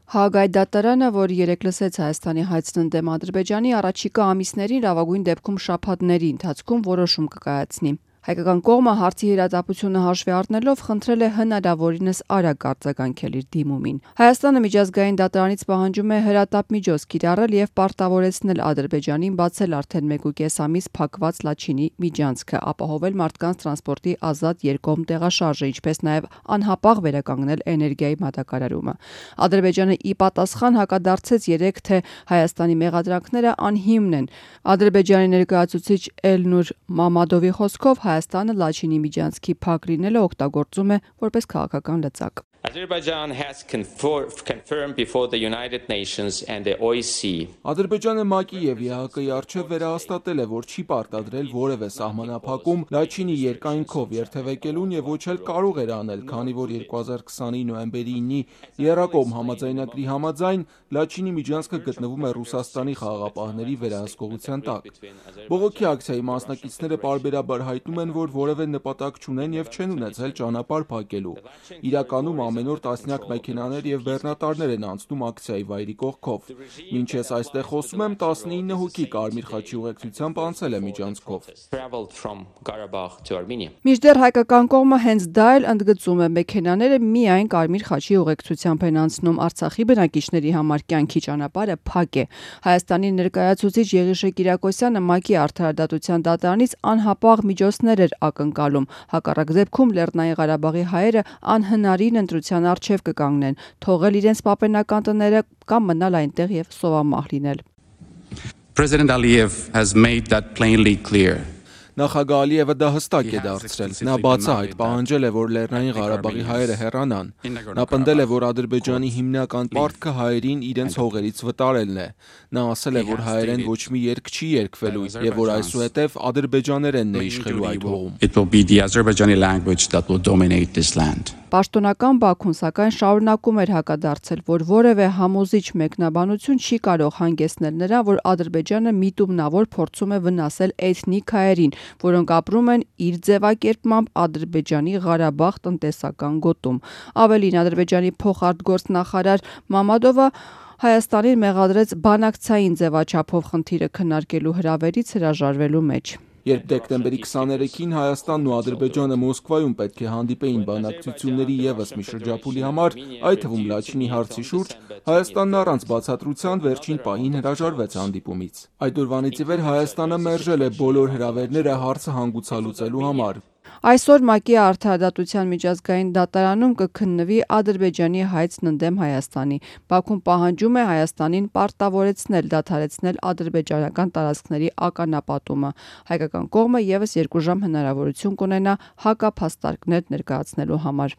Հաագայի դատարանը, որ երեկ լսեց Հայաստանի հայցն ընդդեմ Ադրբեջանի, առաջիկա ամիսներին, լավագույն դեպքում շաբաթների ընթացքում որոշում կկայացնի։ Հայկական կողմը հարցի հիրատապությունը հաշվի առնելով խնդրել է հնարավորինս արագ արձագանքել իր դիմումին։ Հայաստանը միջազգային դատարանից պահանջում է հրատապ միջոց կիրառել եւ պարտավորեցնել Ադրբեջանին բացել արդեն 1.5 ամիս փակված Լաչինի միջանցքը, ապահովել մարդկանց տրանսպորտի ազատ երկկողմ տեղաշարժը, ինչպես նաեւ անհապաղ վերականգնել էներգիայի մատակարարումը։ Ադրբեջանը ի պատասխան հակադարձեց երեկ, թե Հայաստանի մեղադրանքները անհիմն են։ Ադրբեջանի ներկայացուցիչ Էլնուր Մամադովի խոսքով Հայաստանը Լաչինի միջանցքի փակ լինելը օգտագործում է որպես քաղաքական լծակ։ Azerbaijan has confirmed before the United Nations and the OSCE. Ադրբեջանը ՄԱԿ-ի եւ ԵԱՀԿ-ի առջեւ վերահաստատել է, որ չի պարտադրել որևէ սահմանափակում Լաչինի երկայնքով երթևեկելուն եւ ոչ էլ կարող էր անել, քանի որ 2020-ի նոյեմբերի 9-ի եռակողմ համաձայնագրի համաձայն Լաչինի միջանցքը գտնվում է Ռուսաստանի խաղաղապահների վերահսկողության տակ։ Բողոքի ակցիայի մասնակիցները պարբերաբար հայտնում են, որ որևէ նպատակ չունեն եւ չեն ունեցել ճանապարհ փակելու։ Իրականում ամեն օր տասնյակ մեքենաներ եւ բեռնատարներ են անցնում ակցիայի վայրի կողքով։ Մինչ ես այստեղ խոսում եմ, 19 հոգի Կարմիր խաչի ուղեկցությամբ անցել է միջանցքով։ Մինչդեռ հայկական կողմը հենց դա էլ ընդգծում է, մեքենաները միայն Կարմիր խաչի ուղեկցությամբ են անցնում, Արցախի բնակիչների համար կյանքի ճանապարհը փակ է։ Հայաստանի ներկայացուցիչ Եղիշե Կիրակոսյանը ՄԱԿ-ի արդարադատության դատարանից անհապաղ միջոցներ էր ակնկալում։ Հակառակ դեպքում Լեռնային Ղարաբաղի հայերը անհնարին ընտրության առջև կկանգնեն, թողել իրենց պապենական տները կամ մնալ այնտեղ եւ սովամահ լինել։ President Aliyev has made that plainly clear. Նախագահ Ալիևը դա հստակ է դարձրել։ Նա բացահայտ պահանջել է, որ Լեռնային Ղարաբաղի հայերը հեռանան։ Նա պնդել է, որ Ադրբեջանի հիմնական պարտքը հայերին իրենց հողերից վտարելն է։ Նա ասել է, որ հայերեն ոչ մի երգ չի երգվելու եւ որ այսուհետեւ ադրբեջաներենն է իշխելու այդ հողում։ It will be the Azerbaijani language that will dominate this land. Պաշտոնական Բաքուն սակայն շարունակում էր հակադարձել, որ որևէ համոզիչ մեկնաբանություն չի կարող հանգեցնել նրան, որ Ադրբեջանը միտումնավոր փորձում է վնասել էթնիկ հայերին, որոնք ապրում են իր ձևակերպմամբ Ադրբեջանի Ղարաբաղ տնտեսական գոտում։ Ավելին, Ադրբեջանի փոխարտգործնախարար Մամադովը Հայաստանին մեղադրեց բանակցային ձևաչափով խնդիրը քննարկելու հրավերից հրաժարվելու մեջ։ Երբ դեկտեմբերի 23-ին Հայաստանն ու Ադրբեջանը Մոսկվայում պետք է հանդիպեին բանակցությունների եւս մի շրջափուլի համար, այդ թվում Լաչինի հարցի շուրջ, Հայաստանն առանց բացատրության վերջին պահին հրաժարվեց հանդիպումից։ Այդ օրվանից ի վեր Հայաստանը մերժել է բոլոր հրավերները հարցը հանգուցալուծելու համար։ Այսօր ՄԱԿ-ի արդարադատության միջազգային դատարանում կքննվի Ադրբեջանի հայցն ընդդեմ Հայաստանի։ Բաքուն պահանջում է Հայաստանին պարտավորեցնել դադարեցնել ադրբեջանական տարածքների ականապատումը։ Հայկական կողմը եւս 2 ժամ հնարավորություն կունենա հակափաստարկներ ներկայացնելու համար։